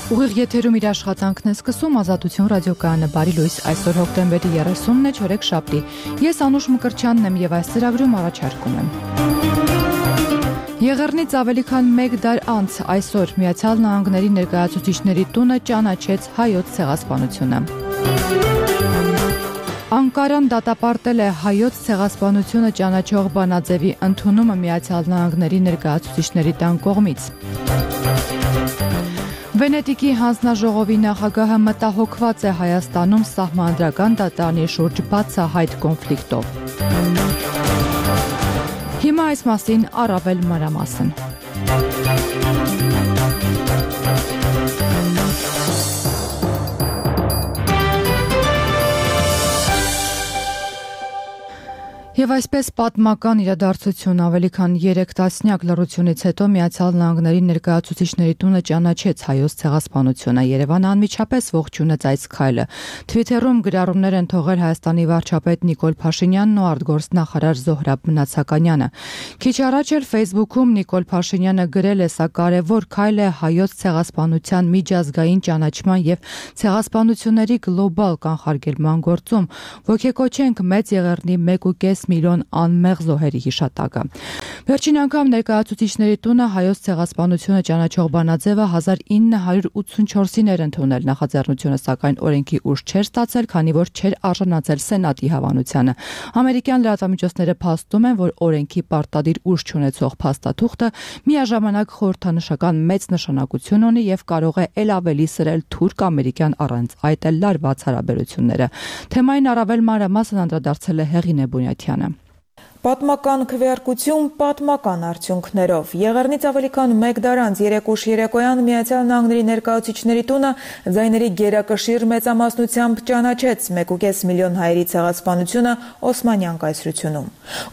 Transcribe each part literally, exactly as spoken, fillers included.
Ուղիղ եթերում իր աշխատանքն է սկսում Ազատություն ռադիոկայանը բարի լույս այսօր հոկտեմբերի երեսունն է չորեքշաբթի։ Ես Անուշ Մկրտչյանն եմ եւ այս ծրագրում առաջարկում եմ։ Եղեռնից ավելի քան մեկ դար անց այսօր Միացյալ Նահանգների ներկայացուցիչների տունը ճանաչեց հայոց ցեղասպանությունը։ Անկարան դատապարտել է հայոց ցեղասպանությունը ճանաչող բանաձևի ընդունումը Միացյալ Նահանգների ներկայացուցիչների տան կողմից։ Վենետիկի հանձնաժողովի նախագահը մտահոգված է Հայաստանում սահմանադրական դատարանի շուրջ բացահայտ կոնֆլիկտով։ Հիմա այս մասին առավել մանրամասն։ Եվ այսպես պատմական իրադարձություն ավելի քան երեք տասնյակ լռությունից հետո Միացյալ Նահանգների ներկայացուցիչների տունը ճանաչեց հայոց ցեղասպանությունը։ Երևանը անմիջապես ողջունեց այս քայլը։ Թվիթերում գրառումներ են թողել Հայաստանի վարչապետ Նիկոլ Փաշինյանն ու արտգործնախարար Զոհրաբ Մնացականյանը։ Քիչ առաջ էլ Facebook-ում Նիկոլ Փաշինյանը գրել է՝ սա կարևոր քայլ է հայոց ցեղասպանության միջազգային ճանաչման եւ ցեղասպանությունների գլոբալ կանխարգելման գործում։ Ոգեկոչենք Մեծ Եղեռնի մեկ ու կես միլիոն անմեղ զոհերի հիշատակը։ Վերջին անգամ ներկայացուցիչների տունը հայոց ցեղասպանությունը ճանաչող բանաձևը հազար ինը հարյուր ութսունչորսին էր ընդունել նախաձեռնությունը, սակայն օրենքի ուժ չէր ստացել, քանի որ չէր արժանացել Սենատի հավանությանը։ Ամերիկյան լրատվամիջոցները փաստում են, որ օրենքի պարտադիր ուժ չունեցող փաստաթուղթը միաժամանակ խորհրդանշական մեծ նշանակություն ունի եւ կարող է ել ավելի սրել թուրք-ամերիկյան առանց այդ էլ լարված հարաբերությունները։ Թեմային առավել մանրամասն անդրադարձել է Հեղինե Բունյաթյանը։ Պատմական քվեարկություն պատմական արդյունքներով։ Եղեռնից ավելի քան մեկ դար անց երեք ուշ երեկոյան Միացյալ Նահանգների ներկայացուցիչների տունը ձայների գերակշիռ մեծամասնությամբ ճանաչեց մեկ ու կես միլիոն հայերի ցեղասպանությունը Օսմանյան կայսրությունում։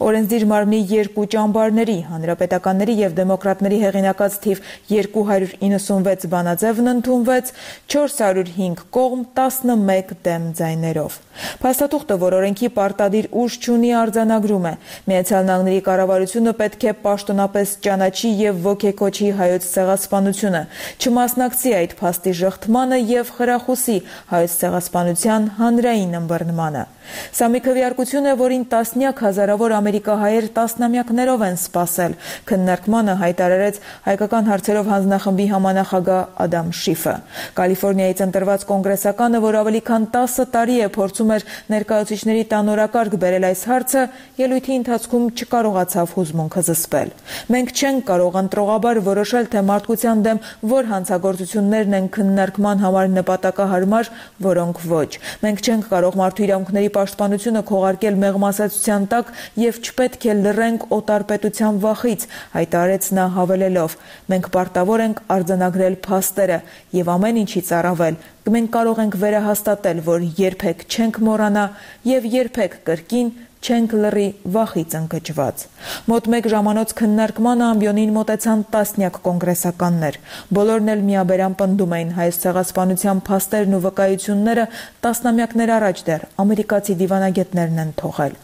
Օրենսդիր մարմնի երկու ճամբարների, հանրապետականների եւ դեմոկրատների հեղինակած թիվ երկու հարյուր իննսունվեց բանաձևն ընդունվեց չորս հարյուր հինգ կողմ տասնմեկ դեմ ձայներով։ Փաստաթուղթը, որ օրենքի պարտադիր ուժ չունի, արձանագրում է. Միացյալ Նահանգների կառավարությունը պետք է պաշտոնապես ճանաչի եւ ոգեկոչի հայոց ցեղասպանությունը, չմասնակցի այդ փաստի ժխտմանը եւ խրախուսի հայոց ցեղասպանության հանրային ըմբռնմանը։ Սա մի քվեարկություն է, որին տասնյակ հազարավոր ամերիկահայեր տասնամյակներով են սպասել, քննարկմանը հայտարարեց հայկական հարցերով հանձնախմբի համանախագահ Ադամ Շիֆը։ Կալիֆոռնիայից ընտրված կոնգրեսականը, որ ավելի քան տասը տարի է փորձում էր ներկայացուցիչների տան օրակարգ բերել այս հարցը, ելույթի ընթացքում չկարողացավ հուզմունքը զսպել։ Մենք չենք կարող ընտրողաբար որոշել, թե մարդկության դեմ որ հանցագործություններն են քննարկման համար նպատակահարմար, որոնք ոչ։ Մենք չենք կարող մարդու իրավունքների պաշտպանությունը քողարկել մեղմասացության տակ եւ չպետք է լռենք օտարպետության վախից, հայտարարեց նա հավելելով. մենք պարտավոր ենք արձանագրել փաստերը եւ ամեն ինչից առավել մենք կարող ենք վերահաստատել, որ երբեք չենք մոռանա եւ երբեք կրկին չենք լռի վախից ընկճված։ Մոտ մեկ ժամանոց քննարկմանը ամբիոնին մոտեցան տասնյակ կոնգրեսականներ։ Բոլորն էլ միաբերան պնդում էին հայոց ցեղասպանության փաստերն ու վկայությունները տասնամյակներ առաջ դեռ ամերիկացի դիվանագետներն են թողել։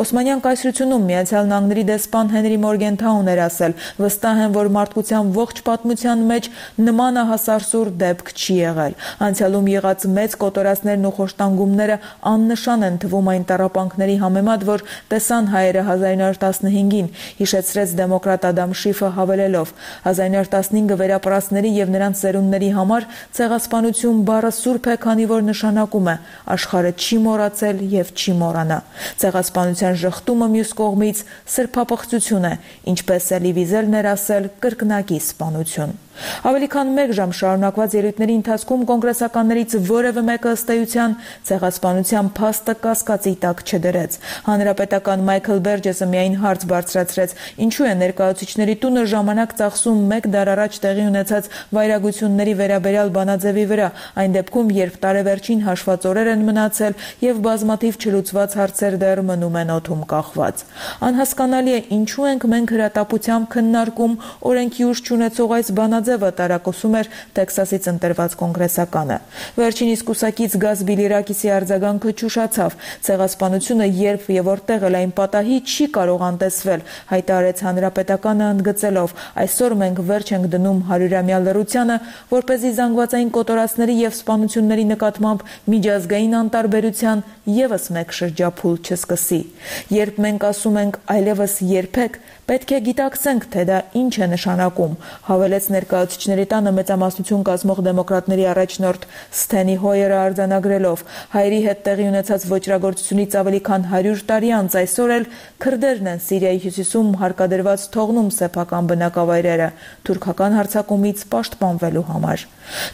Օսմանյան կայսրությունում Միացյալ Նահանգների դեսպան Հենրի Մորգենթաուն էր ասել. վստահ եմ, որ մարդկության ողջ պատմության մեջ նմանահասարսուր դեպք չի եղել։ Անցյալում եղած մեծ կոտորածներն ու խոշտանգումները աննշան են թվում այն տառապանքների համեմատ, որ տեսան հայերը հազար ինը հարյուր տասնհինգին, հիշեցրեց դեմոկրատ Ադամ Շիֆը հավելելով. հազար ինը հարյուր տասնհինգը վերապրածների եւ նրանց ծերունդների համար ցեղասպանություն բառը սուրբ է, քանի որ նշանակում է աշխարհը չի մոռացել եւ չի մոռանա։ Ցեղասպանության ժխտումը մյուս կողմից սրբապղծություն է, ինչպես Էլի Վիզելն էր ասել, կրկնակի սպանություն։ Ավելի քան մեկ ժամ շարունակված ելույթների ընթացքում կոնգրեսականներից որևէ մեկը ըստ էության ցեղասպանության փաստը կասկածի տակ չդրեց։ Հանրապետական Մայքլ Բերջեսը միայն հարց բարձրացրեց. ինչու է ներկայացուցիչների տունը ժամանակ ծախսում մեկ դար առաջ տեղի ունեցած վայրագությունների վերաբերյալ բանաձևի վրա, այն դեպքում, երբ տարեվերջին հաշված օրեր են մնացել եւ բազմաթիվ չլուծված հարցեր դեռ մնում են օդում կախված։ Անհասկանալի է, ինչու ենք մենք հրատապությամբ քննարկում օրենքի ուժ չունեցող այս բանաձևը, տարակուսում էր Տեքսասից ընտրված կոնգրեսականը։ Վերջինիս կուսակից Գազ Բիլիրակիսի արձագանքը ճուշացավ։ Ցեղասպանությունը երբ եւ որտեղ էլ այն պատահի չի կարող անտեսվել, հայտարարեց Հանրապետականը ընդգծելով. այսօր մենք վերջ ենք դնում հարյուրամյա լռությանը, որպեսզի զանգվածային կոտորածների եւ սպանությունների նկատմամբ միջազգային անտարբերության եւս մեկ շրջափուլ չսկսի։ Երբ մենք ասում ենք այլևս երբեք, պետք է գիտակցենք, թե դա ինչ է նշանակում, հավելեց ներկայացուցիչների տանը մեծամասնություն կազմող դեմոկրատների առաջնորդ Սթենի Հոյերը արձանագրելով. հայերի հետ տեղի ունեցած ոճրագործությունից ավելի քան հարյուր տարի անց այսօր էլ քրդերն են Սիրիայի հյուսիսում հարկադրված թողնում սեփական բնակավայրերը թուրքական հարձակումից պաշտպանվելու համար։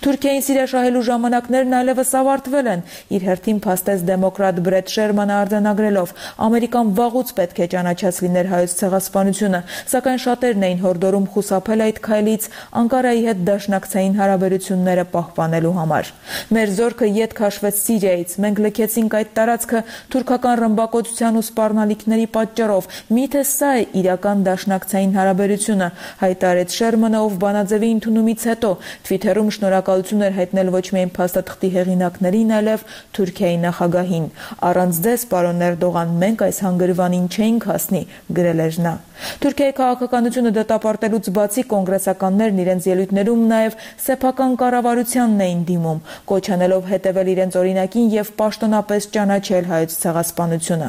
Թուրքիային Սիրիա շահելու ժամանակներն այլևս ավարտվել են, իր հերթին փաստեց դեմոկրատ Բրեդ Շերմանը արձանագրելով. ամերիկան վաղուց պետք է ճանաչած լիներ հայոց ցեղասպանությունը, սակայն շատերն էին հորդորում խուսափել այդ քայլից Անկարայի հետ դաշնակցային հարաբերությունները պահպանելու համար։ Մեր զորքը ետ քաշվեց Սիրիայից, մենք լքեցինք այդ տարածքը թուրքական ռմբակոծության ու սպառնալիքների պատճառով, միթե սա է իրական դաշնակցային հարաբերությունը, հայտարարեց Շերմանը, ով բանաձևի ընդունումից հետո Twitter-ում շնորհակալություն էր հայտնել ոչ միայն փաստաթղթի հեղինակներին, այլև Թուրքիայի նախագահին։ Առանց ձեզ, պարոն Էրդողան, մենք այս հանգրվանին չէինք հասնի, գրել էր նա։ Թուրքիայի քաղաքականությունը դատապարտելուց բացի կոնգրեսականներն իրենց ելույթներում նաև սեփական կառավարությանն էին դիմում, կոչ անելով հետևել իրենց օրինակին եւ պաշտոնապես ճանաչել հայոց ցեղասպանությունը։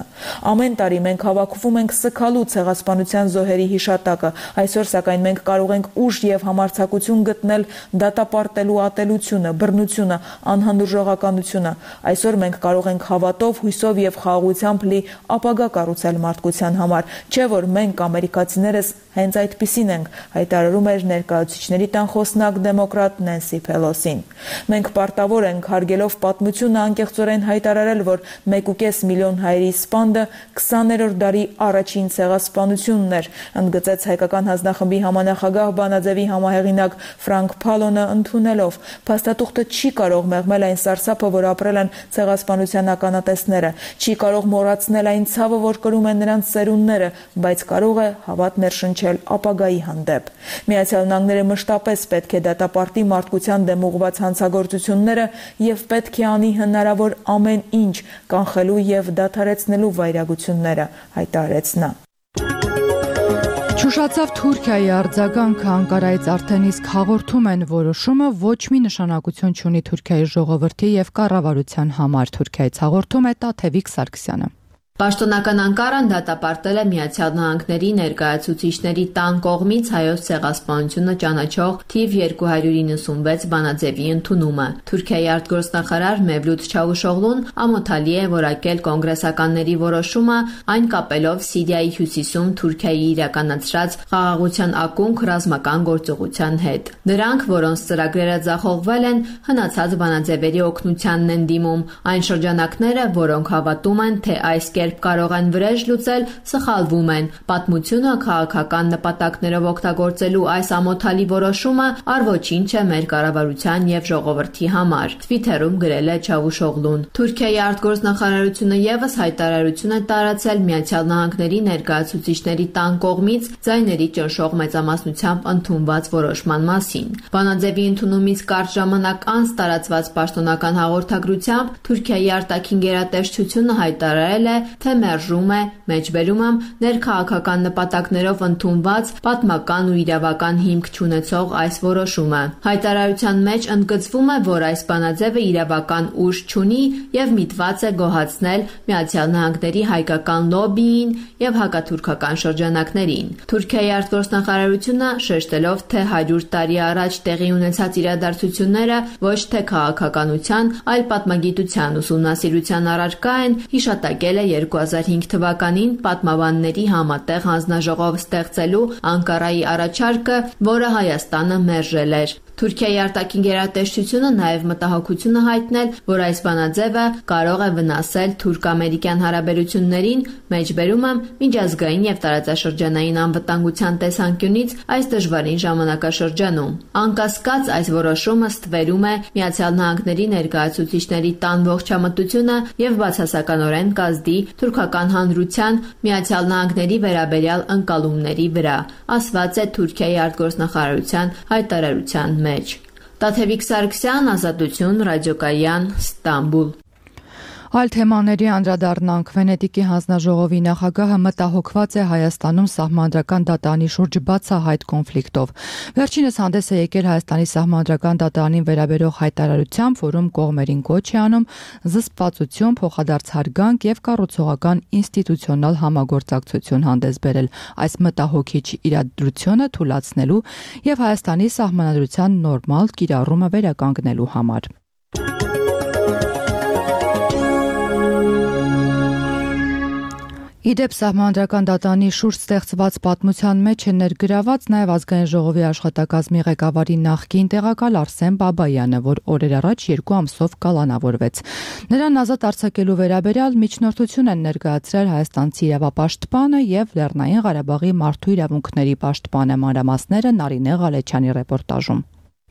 Ամեն տարի մենք հավաքվում ենք սգալու ցեղասպանության զոհերի հիշատակը, այսօր սակայն մենք կարող ենք ուժ եւ համարձակություն գտնել դատապարտելու ատելությունը, բռնությունը, անհանդուրժողականությունը։ Այսօր մենք կարող ենք հավատով, հույսով եւ խաղաղությամբ լի ապագա կառուցել մարդկության համար, չէ՞ որ մենք ամերիկացիներս հենց այդպիսին ենք, հայտարարում էր ներկայացուցիչների տան խոսնակ դեմոկրատ Նենսի Փելոսին։ Մենք պարտավոր ենք հարգելով պատմությունը անկեղծորեն հայտարարել, որ մեկուկես միլիոն հայերի սպանդը քսաներորդ դարի առաջին ցեղասպանությունն էր, ընդգծեց հայկական հանձնախմբի համանախագահ բանաձևի համահեղինակ Ֆրանկ Փալոնը ընդունելով. փաստաթուղթը չի կարող մեղմել այն սարսափը, որ ապրել են ցեղասպանության ականատեսները, չի կարող մոռացնել այն ցավը, որ կրում են նրանց ծերունները, բայց կարող է հավատ ներշնչել ապագայի հանդեպ։ Միացյալ Նահանգները մշտապես պետք է դատապարտի մարդկության դեմ ուղղված հանցագործությունները եւ պետք է անի հնարավոր ամեն ինչ կանխելու եւ դադարեցնելու վայրագությունները, հայտարարեց նա։ Չուշացավ Թուրքիայի արձագանքը Անկարայից արդեն իսկ հաղորդում են որոշումը ոչ մի նշանակություն չունի Թուրքիայի ժողովրդի եւ կառավարության համար, Թուրքիայից հաղորդում է Տաթևիկ Սարգսյանը։ Պաշտոնական Անկարան դատապարտել է Միացյալ Նահանգների ներկայացուցիչների տան կողմից հայոց ցեղասպանությունը ճանաչող թիվ երկու հարյուր իննսունվեց բանաձևի ընդունումը։ Թուրքիայի արտգործնախարար Մևլութ Չավուշօղլուն ամոթալի է որակել կոնգրեսականների որոշումը, այն կապելով Սիրիայի հյուսիսում Թուրքիայի իրականացրած խաղաղության ակունք ռազմական գործողության հետ։ Նրանք, որոնց ծրագրերը ձախողվել են, հնացած բանաձևերի օգնությանն են դիմում, այն շրջանակները, որոնք հավատում են, թե այս կերպ կարող են վրեժ լուծել, սխալվում են։ Պատմությունը քաղաքական նպատակներով օգտագործելու այս ամոթալի որոշումը առ-ոչինչ է մեր կառավարության եւ ժողովրդի համար, Twitter-ում գրել է Չավուշօղլուն։ Թուրքիայի արտգործնախարարությունը եւս հայտարարություն է տարածել Միացյալ Նահանգների ներկայացուցիչների տան կողմից ձայների ճնշող մեծամասնությամբ ընդունված որոշման մասին։ Բանաձևի ընդունումից կարճ ժամանակ անց տարածված պաշտոնական հաղորդագրությամբ Թուրքիայի արտաքին գերատեսչությունը հայտարարել է, թե մերժում է, մեջբերում եմ, ներքաղաքական նպատակներով ընդունված պատմական ու իրավական հիմք չունեցող այս որոշումը։ Հայտարարության մեջ ընդգծվում է, որ այս բանաձևը իրավական ուժ չունի եւ միտված է գոհացնել Միացյալ Նահանգների հայկական լոբբիին եւ հակաթուրքական շրջանակներին։ Թուրքիայի արտգործնախարարությունը շեշտելով, թե հարյուր տարի առաջ տեղի ունեցած իրադարձությունները ոչ թե քաղաքականության, այլ պատմագիտության ուսումնասիրության առարկա են, հիշատակել է երկու հազար հինգ թվականին պատմաբանների համատեղ հանձնաժողով ստեղծելու Անկարայի առաջարկը, որը Հայաստանը մերժել էր։ Թուրքիայի արտաքին գերատեսչությունը նաև մտահոգություն է հայտնել, որ այս բանաձևը կարող է վնասել թուրք-ամերիկյան հարաբերություններին, մեջբերում եմ, միջազգային եւ տարածաշրջանային անվտանգության տեսանկյունից այս դժվարին ժամանակաշրջանում։ Անկասկած այս որոշումը ստվերում է Միացյալ Նահանգների ներկայացուցիչների տան ողջամտությունը եւ բացասականորեն կազդի թուրքական հանրության Միացյալ Նահանգների վերաբերյալ ընկալումների վրա, ասված է Թուրքիայի արտգործնախարարության հայտարարության մեջ։ Տաթևիկ Սարգսյան, Ազատություն, Ռադիոկայան, Ստամբուլ։ Այլ թեմաների անդրադառնանք Վենետիկի հանձնաժողովի նախագահը մտահոգված է Հայաստանում սահմանադրական դատարանի շուրջ բացահայտ կոնֆլիկտով։ Վերջինս հանդես է եկել Հայաստանի սահմանադրական դատարանին վերաբերող հայտարարությամբ, որում կողմերին կոչ է անում զսպվածություն, փոխադարձ հարգանք եւ կառուցողական ինստիտուցիոնալ համագործակցություն հանդես բերել այս մտահոգիչ իրադրությունը թույլատնելու եւ Հայաստանի սահմանադրության նորմալ կիրառումը վերականգնելու համար։ Իդեպ սահմանադրական դատարանի շուրջ ստեղծված պատմության մեջ է ներգրաված նաև ազգային ժողովի աշխատակազմի ղեկավարի նախկին տեղակալ Արսեն Բաբայանը, որ օրեր առաջ երկու ամսով կալանավորվեց։ Նրան ազատ արձակելու վերաբերյալ միջնորդություն են ներկայացրել հայաստանցի իրավապաշտպանը եւ Լեռնային Ղարաբաղի մարդու իրավունքների պաշտպանը, մանրամասները Նարինե Ղալեչյանի ռեպորտաժում։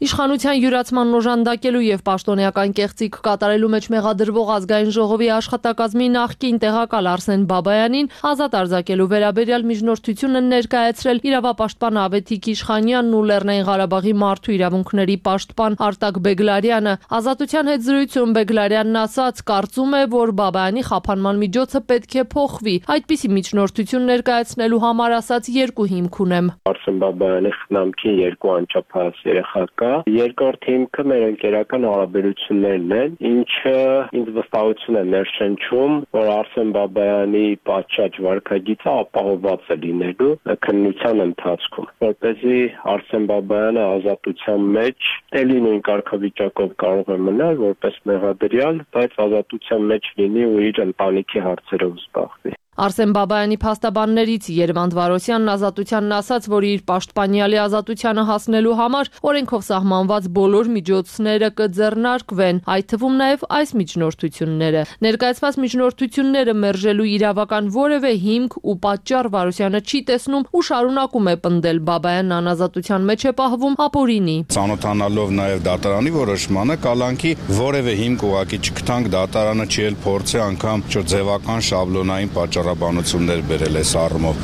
Իշխանության յուրացման օժանդակելու եւ պաշտոնեական կեղծիք կատարելու մեջ մեղադրվող ազգային ժողովի աշխատակազմի նախկին տեղակալ Արսեն Բաբայանին ազատ արձակելու վերաբերյալ միջնորդություն են ներկայացրել իրավապաշտպան Ավետիք Իշխանյանն ու Լեռնային Ղարաբաղի մարդու իրավունքների պաշտպան Արտակ Բեգլարյանը։ Ազատության հետ զրույցում Բեգլարյանն ասաց, կարծում է, որ Բաբայանի խափանման միջոցը պետք է փոխվի։ Այդպիսի միջնորդություն ներկայացնելու համար ասաց երկու հիմք ունեմ։ Արսեն Բաբայանի խնամքին երկու անչափահաս երեխա կա։ Երկրորդ հիմքը մեր ընկերական հարաբերություններն են, ինչը ինձ վստահություն է ներշնչում, որ Արսեն Բաբայանի պատշաճ վարքագիծը ապահովված է լինելու քննության ընթացքում, որպեսզի Արսեն Բաբայանը ազատության մեջ էլի նույն կարգավիճակով կարող է մնալ որպես մեղադրյալ, բայց ազատության մեջ լինի ու իր ընտանիքի հարցերով զբաղվի։ Արսեն Բաբայանի փաստաբաններից Երվանդ Վարոսյանն ազատությանն ասաց, որ իր պաշտպանյալի ազատությանը հասնելու համար օրենքով սահմանված բոլոր միջոցները կձեռնարկվեն, այդ թվում նաև այս միջնորդությունները։ Ներկայացված միջնորդությունները մերժելու իրավական որևէ հիմք ու պատճառ Վարոսյանը չի տեսնում ու շարունակում է պնդել Բաբայանն անազատության մեջ է պահվում ապօրինի։ Ծանոթանալով նաև դատարանի որոշմանը կալանքի որևէ հիմք ուղղակի չգտանք, դատարանը չի էլ փորձի անգամ ձևական շաբլոնային պատճառ բանություններ բերել այս առումով։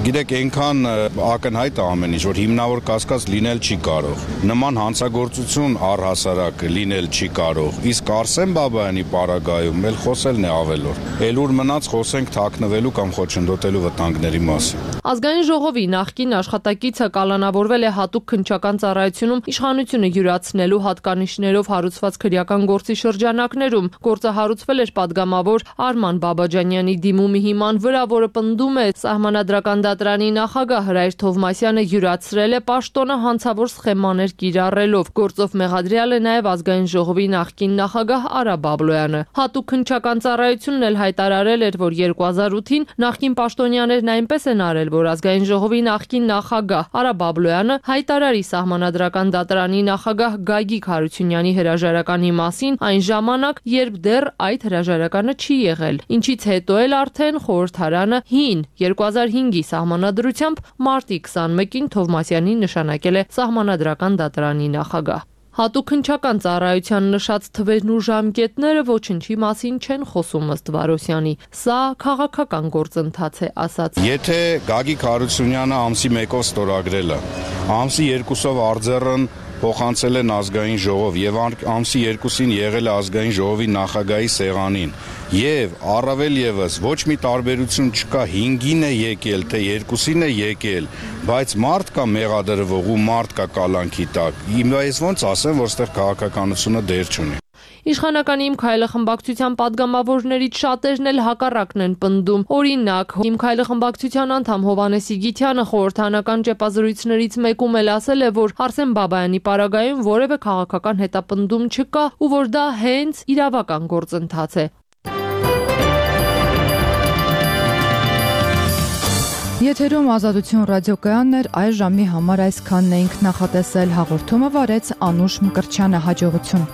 Գիտեք, այնքան ակնհայտ է ամեն ինչ, որ հիմնավոր կասկած լինել չի կարող։ Նման հանցագործություն առհասարակ լինել չի կարող։ Իսկ Արսեն Բաբայանի պարագայում էլ խոսելն է ավելորդ։ Էլ ուր մնաց խոսենք թաքնվելու կամ խոչընդոտելու վտանգների մասին։ Ազգային ժողովի նախկին աշխատակիցը կալանավորվել է հատուկ քննչական ծառայությունում իշխանությունը յուրացնելու հատկանիշներով հարուցված քրեական գործի շրջանակներում։ Գործը հարուցվել էր падգամավոր Արման Բաբաջանյանի դիմումի հիման վրա, որը պնդում է սահմանադրական դատարանի նախագահ Հրայր Թովմասյանը յուրացրել է պաշտոնը հանցավոր սխեմաներ կիրառելով։ Գործով մեղադրյալ է նաև ազգային ժողովի նախկին նախագահ Արա Բաբլոյանը։ Հատուկ քննչական ծառայությունն էլ հայտարարել էր, որ երկու հազար ութին նախկին պաշտոնյաներն այնպես են արել, որ ազգային ժողովի նախկին նախագահ Արա Բաբլոյանը հայտարարի սահմանադրական դատարանի նախագահ Գագիկ Հարությունյանի հրաժարականի մասին այն ժամանակ, երբ դեռ այդ հրաժարականը չի եղել, ինչից հետո էլ արդեն խորհրդարանը հին երկու հազար հինգի սահմանադրությամբ մարտի քսանմեկին Թովմասյանին նշանակել է սահմանադրական դատարանի նախագահ։ Հատուկ քննչական ծառայության նշած թվերն ու ժամկետները ոչնչի մասին չեն խոսում ըստ Վարոսյանի։ Սա քաղաքական գործընթաց է, ասաց։ Եթե Գագիկ Հարությունյանը ամսի մեկով ստորագրել է, ամսի երկուսով արձեռն փոխանցել են ազգային ժողով եւ ամսի երկուսին եղել է ազգային ժողովի նախագահի սեղանին եւ առավել եւս ոչ մի տարբերություն չկա հինգին է եկել թե երկուսին է եկել, բայց մարդ կա մեղադրվող ու մարդ կա կալանքի տակ։ Ես ոնց ասեմ, որ այստեղ քաղաքականությունը դեր չունի։ Իշխանական Իմ Քայլը խմբակցության падգամավորներից շատերն էլ հակառակն են պնդում։ Օրինակ, Իմ Քայլը խմբակցության անդամ Հովհաննես Իգիթյանը խորհրդանական ճեպազրույցներից մեկում էլ ասել է, որ Արսեն Բաբայանի պարագայում որևէ քաղաքական հետապնդում չկա ու որ դա հենց իրավական գործընթաց է։ Եթերում Ազատություն ռադիոկայանն էր, այս ժամի համար այսքանն էինք նախատեսել, հաղորդումը վարեց Անուշ Մկրտչյանը, հաջողություն։